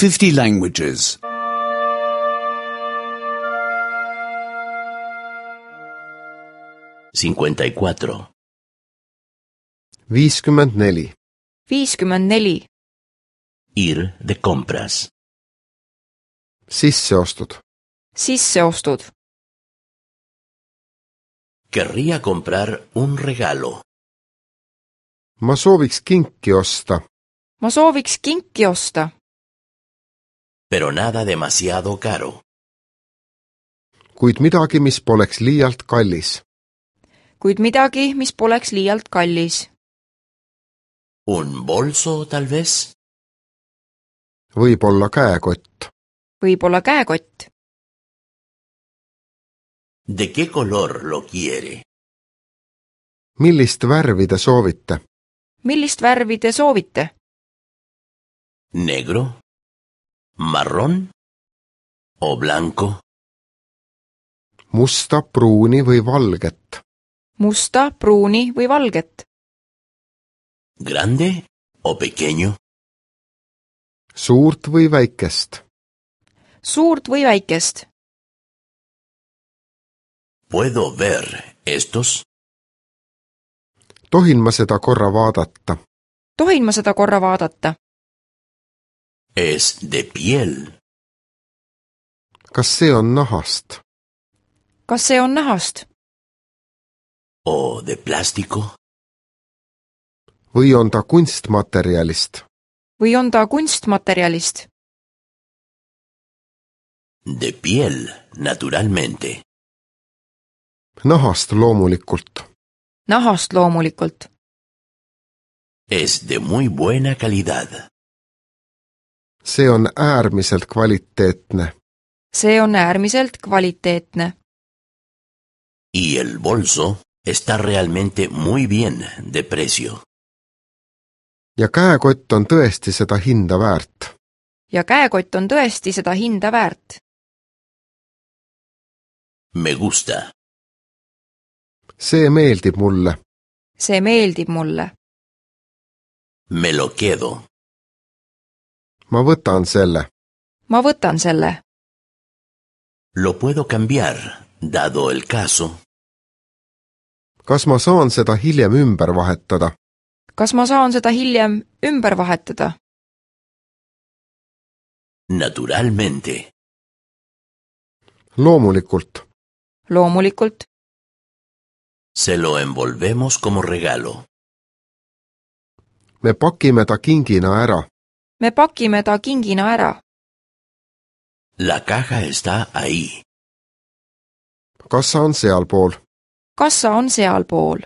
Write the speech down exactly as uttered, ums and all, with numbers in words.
fifty languages. cincuenta y cuatro. viiskümmend neli. viiskümmend neli. Ir de compras. Sisseostud. Sisseostud. Querría comprar un regalo. Ma sooviks kinki osta, Ma sooviks kinki osta, Pero nada demasiado caro. kuid midagi, mis poleks liialt kallis. kuid midagi, mis poleks liialt kallis. ¿Un bolso, tal vez? Võib-olla käekott. Võib-olla käekott. ¿De qué color lo quiere? Millist värvi te soovite? Millist värvi te soovite? ¿Negro? ¿Marrón? ¿O blanco? Musta, pruuni või valget? Musta, pruuni või valget? ¿Grande o pequeño? Suurt või väikest? Suurt või väikest? ¿Puedo ver estos? Tohin ma seda korra vaadata? Tohin ma seda korra vaadata? Es de piel. Kas see on nahast? Kas see on nahast? ¿O de plástico? Või on ta kunstmaterjalist? Või on ta kunstmaterjalist? De piel, naturalmente. Nahast loomulikult. Nahast loomulikult. Es de muy buena calidad. See on äärmiselt kvaliteetne. See on äärmiselt kvaliteetne. Y el bolso está realmente muy bien de precio. Ja käekott on tõesti seda hinda väärt. Ja käekott on tõesti seda hinda väärt. Me gusta. See meeldib mulle. See meeldib mulle. Me lo quedo. Ma võtan selle. Ma võtan selle. Lo puedo cambiar, dado el caso. Kas ma saan seda hiljem ümber vahetada? Kas ma saan seda hiljem ümber vahetada? Naturalmente. Loomulikult. Loomulikult. Se lo envolvemos como regalo. Me pakime ta kingina ära. Me pakime ta kingina ära. La caja está ahí. Kassa on sealpool. Kassa on sealpool.